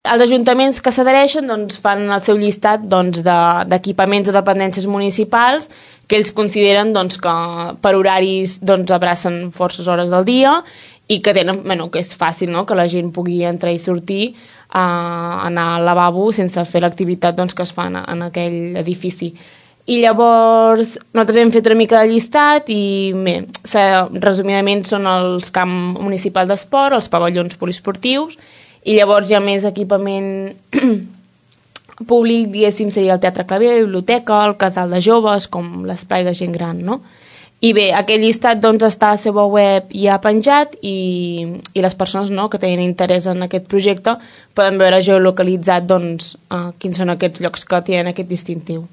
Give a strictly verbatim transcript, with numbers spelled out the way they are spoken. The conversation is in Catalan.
els ajuntaments que s'adhereixen doncs, fan el seu llistat doncs, d'equipaments o dependències municipals que ells consideren doncs, que per horaris doncs, abracen forces hores del dia i que tenen, bueno, que és fàcil, no?, que la gent pugui entrar i sortir, a anar al lavabo sense fer l'activitat doncs, que es fa en, en aquell edifici. I llavors nosaltres hem fet una mica de llistat i bé, resumidament són els camps municipals d'esport, els pavellons poliesportius i llavors hi ha més equipament públic, diguéssim, seria el Teatre Claver, la biblioteca, el casal de joves, com l'esplai de gent gran, no? I bé, aquest llistat doncs, està a la seva web ja penjat i, i les persones no, que tenen interès en aquest projecte poden veure geolocalitzat doncs, uh, quins són aquests llocs que tenen aquest distintiu.